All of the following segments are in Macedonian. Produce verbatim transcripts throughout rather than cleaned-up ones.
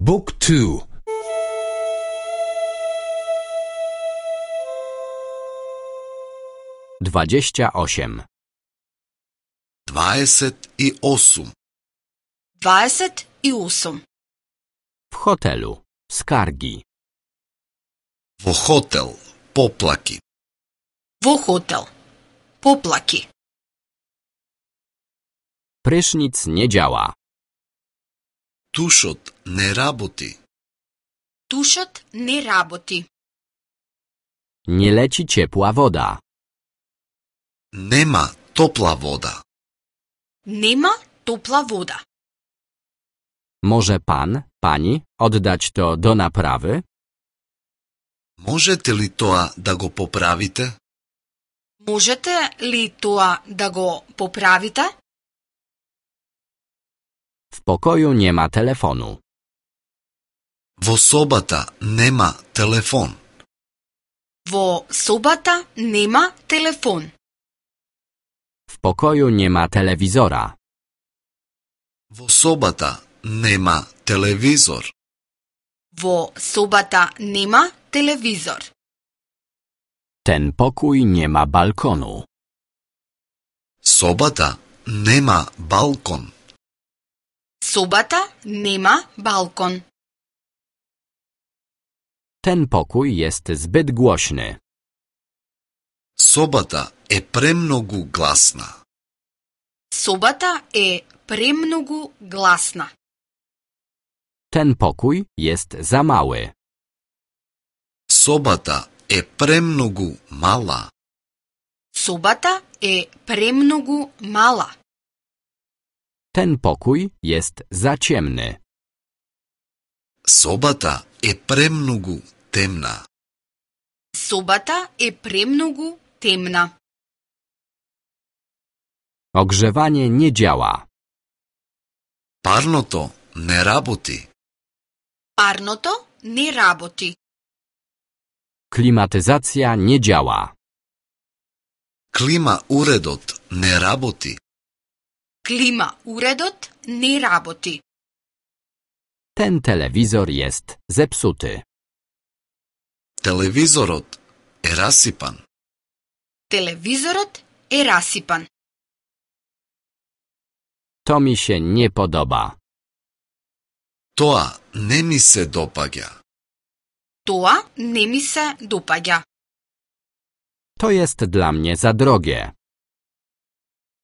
Book two. Dwadzieścia osiem. Dvadeset i osam. Dvadeset i osam. W hotelu. Skargi. Во хотел. Поплаки. Во хотел. Поплаки. Prysznic nie działa. Тушот не работи. Тушот не работи. Nie leci ciepła woda. Нема топла вода. Нема топла вода. Może pan, pani oddać to do naprawy? Можете ли тоа да го поправите? Можете ли тоа да го поправите? W pokoju nie ma telefonu. Во собата нема телефон. Во собата нема телефон. W pokoju nie ma telewizora. Во собата нема телевизор. Во собата нема телевизор. Ten pokój nie ma balkonu. Собата нема балкон. Собата нема балкон. Ten pokój jest zbyt głośny. Собата е премногу гласна. Собата е премногу гласна. Ten pokój jest za mały. Собата е премногу мала. Собата е премногу мала. Ten pokój jest za ciemny. Собата е премногу темна. Собата е премногу темна. Ogrzewanie nie działa. Парното не работи. Парното не работи. Klimatyzacja nie działa. Клима уредот не работи. Клима уредот не работи. Ten telewizor jest zepsuty. Телевизорот е расипан. Телевизорот е расипан. To mi się nie podoba. Тоа не ми се допаѓа. Тоа не ми се допаѓа. To jest dla mnie za drogie.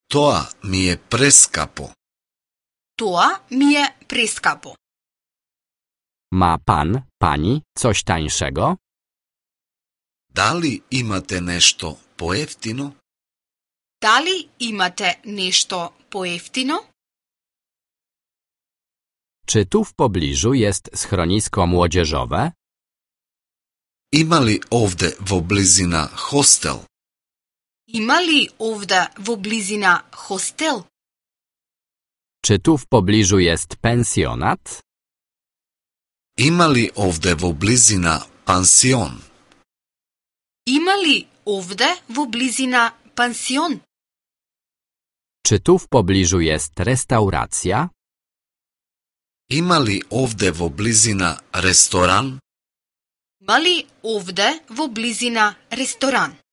Тоа ми е прескапо. Тоа ми е прескапо. Ma pan, pani coś tańszego? Дали имате нешто поевтино? Дали имате нешто поевтино? Czy tu w pobliżu jest schronisko młodzieżowe? Има ли овде во близина хостел? Има ли овде во близина хостел? Czy tu w pobliżu jest pensjonat? Има ли овде во близина пансион? Има ли овде во близина пансион? Czy tu w pobliżu jest restauracja? Има ли овде во близина ресторан? Има ли овде во близина ресторан?